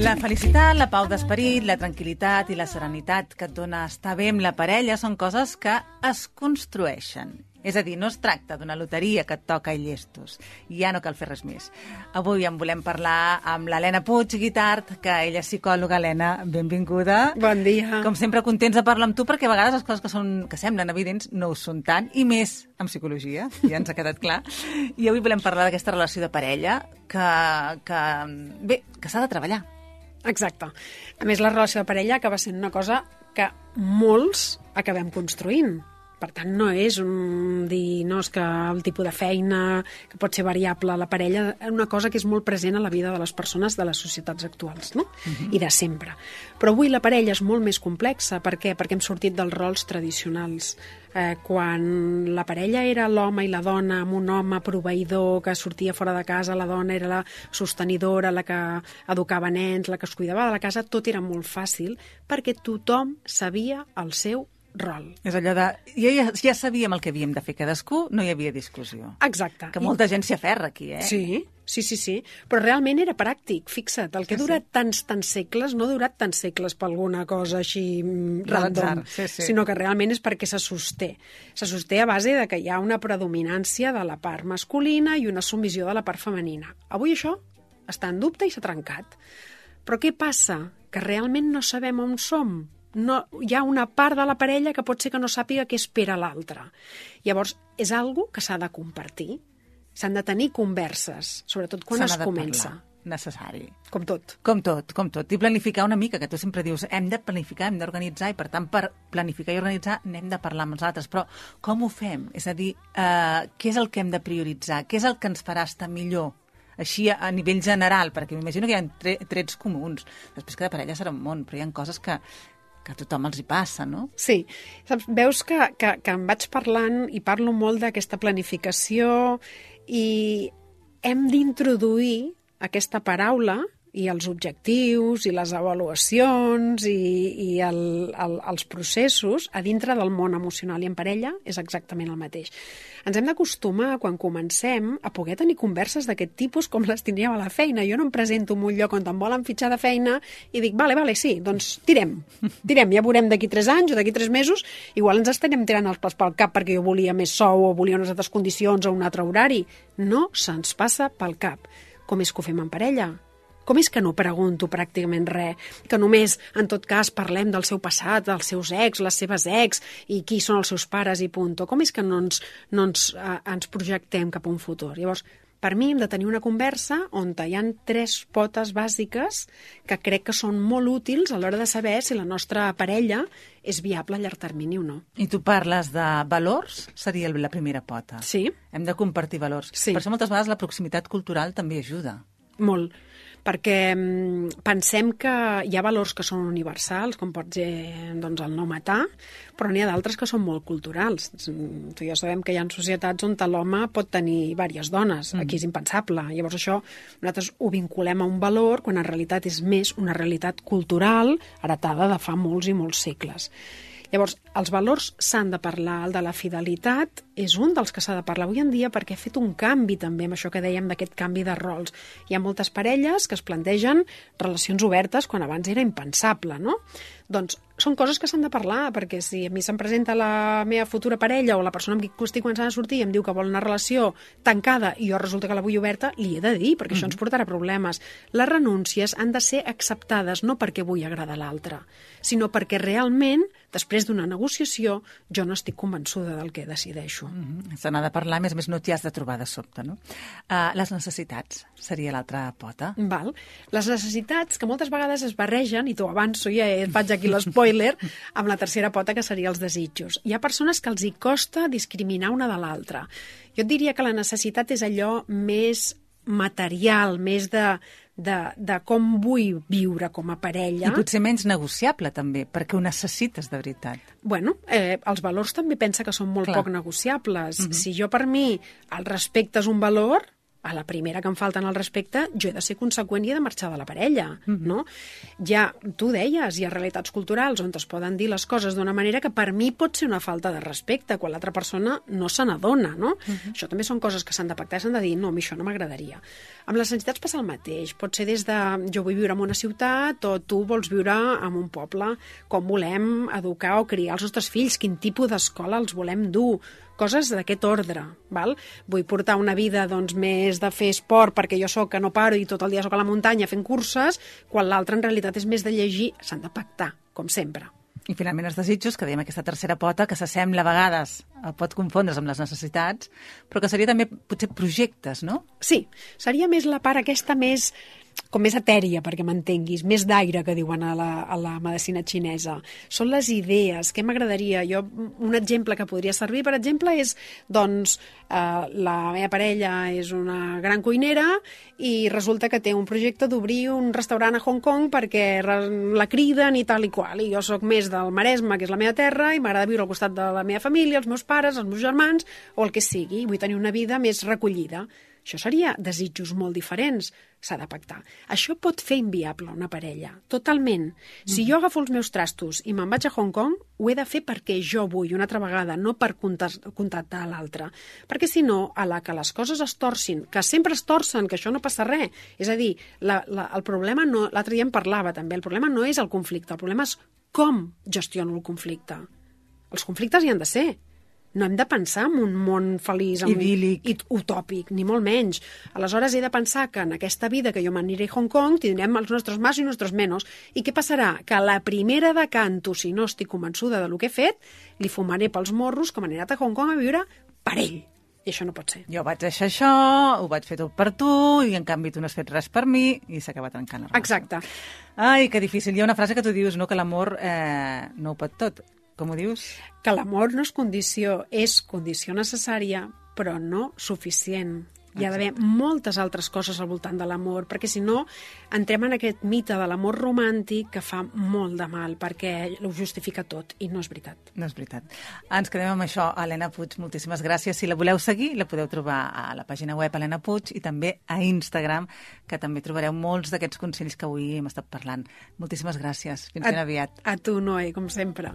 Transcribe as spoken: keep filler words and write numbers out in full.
La felicitat, la pau d'esperit, la tranquil·litat i la serenitat que et dona estar bé amb la parella són coses que es construeixen. És a dir, no es tracta d'una loteria que et toca i llestos. Ja no cal fer res més. Avui en volem parlar amb l'Helena Puig Guitart, que ella és psicòloga. Helena, benvinguda. Bon dia. Com sempre, contents de parlar amb tu, perquè a vegades les coses que, són, que semblen evidents no ho són tant, i més amb psicologia, ja ens ha quedat clar. I avui volem parlar d'aquesta relació de parella que, que bé, que s'ha de treballar. Exacte. A més, la relació de parella acaba sent una cosa que molts acabem construint. Per tant, no és un dir, no, és que el tipus de feina, que pot ser variable a la parella, és una cosa que és molt present a la vida de les persones de les societats actuals, no? Uh-huh. I de sempre. Però avui la parella és molt més complexa. Per què? Perquè hem sortit dels rols tradicionals. Eh, quan la parella era l'home i la dona, amb un home proveïdor que sortia fora de casa, la dona era la sostenidora, la que educava nens, la que es cuidava de la casa, tot era molt fàcil perquè tothom sabia el seu rol. És allò de... Ja, ja, ja sabíem el que havíem de fer cadascú, no hi havia discussió. Exacte. Que molta gent s'hi aferra aquí, eh? Sí, sí, sí, sí. Però realment era pràctic, fixa't. El que ha durat sí, sí. tants, tants segles, no ha durat tants segles per alguna cosa així random, sí, sí. sinó que realment és perquè se sosté. Se sosté a base de que hi ha una predominància de la part masculina i una submissió de la part femenina. Avui això està en dubte i s'ha trencat. Però què passa? Que realment no sabem on som. No, hi ha una part de la parella que pot ser que no sàpiga què espera l'altre. Llavors, és algo que s'ha de compartir. S'han de tenir converses, sobretot quan es comença. Necessari. Com tot. Com tot, com tot. I planificar una mica, que tu sempre dius, hem de planificar, hem d'organitzar, i per tant, per planificar i organitzar, n'hem de parlar amb els altres. Però com ho fem? És a dir, eh, què és el que hem de prioritzar? Què és el que ens farà estar millor? Així a nivell general, perquè m'imagino que hi ha tre trets comuns. Després cada parella serà un món, però hi ha coses que que a tothom els hi passa, no? Sí. Saps, veus que, que, que em vaig parlant i parlo molt d'aquesta planificació i hem d'introduir aquesta paraula i els objectius i les avaluacions i, i el, el, els processos a dintre del món emocional, i en parella és exactament el mateix. Ens hem d'acostumar, quan comencem, a poder tenir converses d'aquest tipus com les tindríem a la feina. Jo no em presento en un lloc on em volen fitxar de feina i dic, vale, vale, sí, doncs tirem. Tirem, ja veurem d'aquí tres anys o d'aquí tres mesos, igual ens estarem tirant els plats pel cap perquè jo volia més sou o volia unes altres condicions o un altre horari. No se'ns passa pel cap. Com és que ho fem en parella? Com és que no pregunto pràcticament res? Que només, en tot cas, parlem del seu passat, dels seus ex, les seves ex, i qui són els seus pares i punto. Com és que no ens, no ens, eh, ens projectem cap a un futur? Llavors, per mi hem de tenir una conversa on hi ha tres potes bàsiques que crec que són molt útils a l'hora de saber si la nostra parella és viable a llarg termini o no. I tu parles de valors, seria la primera pota. Sí. Hem de compartir valors. Sí. Per això moltes vegades la proximitat cultural també ajuda. Molt. Perquè pensem que hi ha valors que són universals, com pot ser doncs, el no matar, però n'hi ha d'altres que són molt culturals. Tu ja sabem que hi ha societats on l'home pot tenir diverses dones. Aquí és impensable. Llavors això nosaltres ho vinculem a un valor quan en realitat és més una realitat cultural heretada de fa molts i molts segles. Llavors, els valors s'han de parlar. El de la fidelitat és un dels que s'ha de parlar avui en dia perquè ha fet un canvi també amb això que dèiem d'aquest canvi de rols. Hi ha moltes parelles que es plantegen relacions obertes quan abans era impensable, no? Doncs són coses que s'han de parlar, perquè si a mi se'm presenta la meva futura parella o la persona amb qui estic començant a sortir i em diu que vol una relació tancada i jo resulta que la vull oberta, li he de dir, perquè mm-hmm. això ens portarà problemes. Les renúncies han de ser acceptades no perquè vull agradar a l'altre, sinó perquè realment, després d'una negociació, jo no estic convençuda del que decideixo. Mm-hmm. Se n'ha de parlar, a més a més no t'hi has de trobar de sobte, no? Uh, les necessitats seria l'altra pota. Val. Les necessitats, que moltes vegades es barregen, i t'ho avanço, ja et faig aquí l'espoiler, amb la tercera pota, que seria els desitjos. Hi ha persones que els hi costa discriminar una de l'altra. Jo et diria que la necessitat és allò més material, més de, de, de com vull viure com a parella. I potser menys negociable, també, perquè ho necessites de veritat. Bueno, eh, els valors també pensa que són molt Clar. poc negociables. Uh-huh. Si jo, per mi, el respecte és un valor, a la primera que em falten al respecte, jo he de ser conseqüent i he de marxar de la parella, mm-hmm. no? Ja, tu deies, hi ha realitats culturals on es poden dir les coses d'una manera que per mi pot ser una falta de respecte, quan l'altra persona no se n'adona, no? Mm-hmm. Això també són coses que s'han de pactar, s'han de dir, no, a mi això no m'agradaria. Amb les entitats passa el mateix, pot ser des de jo vull viure en una ciutat o tu vols viure en un poble, com volem educar o criar els nostres fills, quin tipus d'escola els volem dur, coses d'aquest ordre, val? Vull portar una vida doncs, més de fer esport perquè jo sóc que no paro i tot el dia sóc a la muntanya fent curses, quan l'altre en realitat és més de llegir, s'han de pactar, com sempre. I finalment els desitjos, que dèiem aquesta tercera pota, que s'assembla a vegades, pot confondre's amb les necessitats, però que seria també potser projectes, no? Sí, seria més la part aquesta més com més etèria, perquè m'entenguis, més d'aire, que diuen a la, a la medicina xinesa. Són les idees, què m'agradaria? Jo, un exemple que podria servir, per exemple, és, doncs, eh, la meva parella és una gran cuinera i resulta que té un projecte d'obrir un restaurant a Hong Kong perquè la criden i tal i qual. I jo sóc més del Maresme, que és la meva terra, i m'agrada viure al costat de la meva família, els meus pares, els meus germans, o el que sigui. Vull tenir una vida més recollida. Això seria desitjos molt diferents, s'ha de pactar. Això pot fer inviable una parella, totalment. Si jo agafo els meus trastos i me'n vaig a Hong Kong, ho he de fer perquè jo vull, una altra vegada, no per contactar l'altre. Perquè si no, a la que les coses es torcin, que sempre es torcen, que això no passa res, és a dir, la, la, el problema, no, l'altre dia en parlava també, el problema no és el conflicte, el problema és com gestiono el conflicte. Els conflictes hi han de ser. No hem de pensar en un món feliç, idíl·lic i utòpic, ni molt menys. Aleshores he de pensar que en aquesta vida que jo m'aniré a Hong Kong tindrem els nostres más i nostres menos. I què passarà? Que a la primera de canto, si no estic convençuda del que he fet, li fumaré pels morros que m'he anat a Hong Kong a viure per ell. I això no pot ser. Jo vaig deixar això, ho vaig fer tot per tu, i en canvi tu no has fet res per mi, i s'acaba trencant la relació. Exacte. Ai, que difícil. Hi ha una frase que tu dius, no, que l'amor eh, no ho pot tot. Com ho dius? Que l'amor no és condició, és condició necessària, però no suficient. Hi ha d'haver moltes altres coses al voltant de l'amor, perquè si no entrem en aquest mite de l'amor romàntic que fa molt de mal, perquè ho justifica tot, i no és veritat. No és veritat. Ens quedem amb això. Helena Puig, moltíssimes gràcies. Si la voleu seguir, la podeu trobar a la pàgina web Helena Puig i també a Instagram, que també trobareu molts d'aquests consells que avui hem estat parlant. Moltíssimes gràcies. Fins ben aviat. A tu, Noé, com sempre.